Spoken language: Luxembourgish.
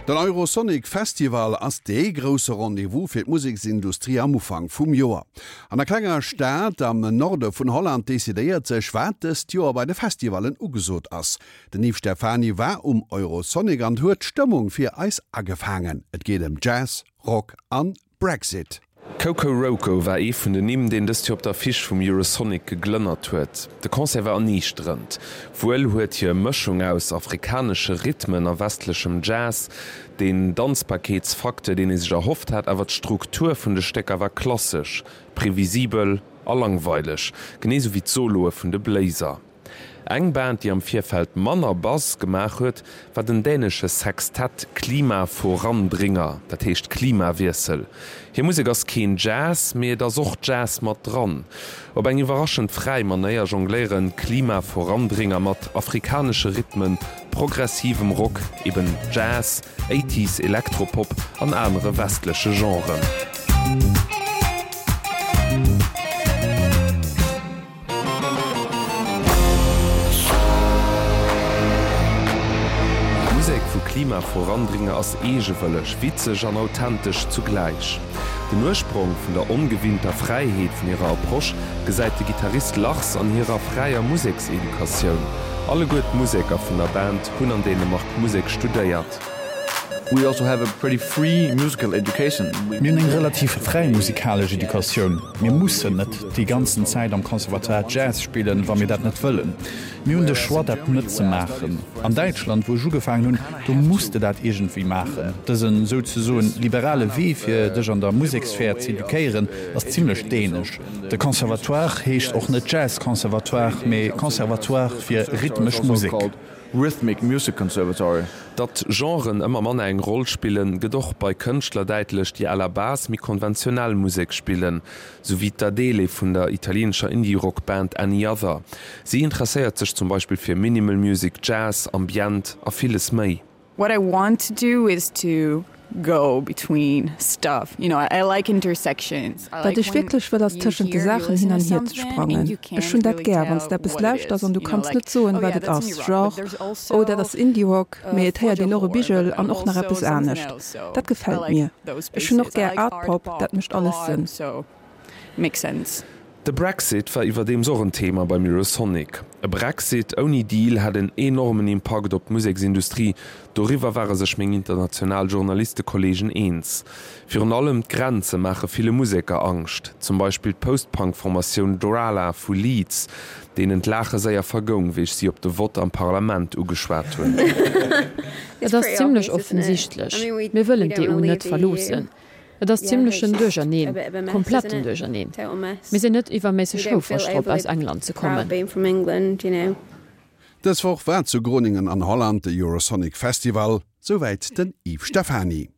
Den Eurosonic Festival ass dee grousse Rendez-vous fir d'Museksindustrie am Ufank vum Joer. An der klenger Stad am Norde vun Holland decidéiert sech, wat dëst Joer bei de Festivallen ugesot ass. Den Yves Stephany war um Eurosonic an huet d'Stëmmung fir eis agefaangen. Et geet ëm Jazz, Rock an Brexit. Kokoroko war ee vun den Nimm, deen dëst Joer op der Affiche vum Eurosonic geglënnert huet. De Concert war erniichterend. Wuel huet hir Mëschung aus afrikanesche Rhythmen a westlechem Jazz deen Danzbarkeetsfacteur, deen ee sech erhofft hat, awer d'Struktur vun de Stécker war klassesch, previsibel a langweileg, genee sou wéi d'Soloe vun de Bléiser. Eng Band, déi am Virfeld manner Buzz gemaach huet, war den dänesche Sextett Klimaforandringer, dat heescht Klimawiessel. Hir Musek ass keen Jazz, mee et ass och Jazz mat dran. Op eng iwwerraschend fräi Manéier jongléieren Klimaforandringer mat afrikanesche Rhythmen, progressivem Rock, eben Jazz, Eighties Elektropop an anere westleche Genren. D'Musek vu Klima Vorandringer ass eegewëlleg, witzeg an authentesch zugläich. Den Ursprong vun der ongewinnter Fräiheet vun hirer Approche gesäit de Gittarist Lars an hirer fräier Musekseducatioun. Alleguer d'Museker vun der Band hunn an Dänemark Musek studéiert. We also have a pretty free musical education. Mir hunn eng relativ fräi musikalesch Educatioun. Mir mussen net déi ganzen Zäit am Conservatoire Jazz spillen, wa mir dat net wëllen. Mir hunn de Choix, dat net ze maachen. An Däitschland, wou ech ugefaangen hunn, do muss de dat iergendwéi maachen. Dësen souzesoen liberale Wee, fir dech an der Museksphär z'eduquéieren, ass zimlech dänesch. De Conservatoire heescht och net Jazz-Conservatoire, mee Conservatoire fir rhythmesch Musek. Rhythmic Music Conservatory. Datt Genren ëmmer manner eng Roll spillen, gëtt och bei Kënschtler däitlech, déi à la base méi konventionell Musek spillen, sou wéi d'Adele vun der italieenescher Indie-Rock-Band Any Other. Si interesséiert sech zum Beispill fir Minimal Music, Jazz, Ambient a villes méi. What I want to do is to go between stuff, you know, I like intersections. Wat ech wierklech wëll ass tëschent de Saachen hin an hier ze sprangen. Ech hunn dat gär, wann s de eppes lauschters an du kanns net soen, wat et ass, genre, oh dat ass Indie-Rock, mee et héiert een och e Bigel an och nach eppes anescht. Dat gefält mir. Ech hunn och gär Art-Pop, dat mécht alles Sënn. Makes sense. De Brexit war iwwerdeems och en Thema beim Eurosonic. E Brexit ouni Deal hätt en enormen Impakt op d'Museksindustrie, doriwwer ware sech meng international Journalistekolleegen eens. Virun allem d'Grenze maache ville Museker Angscht, zum Beispill d'Post-Punk-Formatioun Drala vu Leeds, deenen d'Laache séier vergoung, wéi ech si op de Vott am Parlament ugeschwat hunn. Et ass zimmlech offensichtlech, mir wëllen d'EU net verloossen. Et ass zimmlechen Duercherneen, kompletten Duercherneen. Mir sinn net iwwerméisseg houfreg drop, aus England ze kommen. Dës Woch war zu Groningen an Holland de Eurosonic Festival, souwäit den Yves Stephany.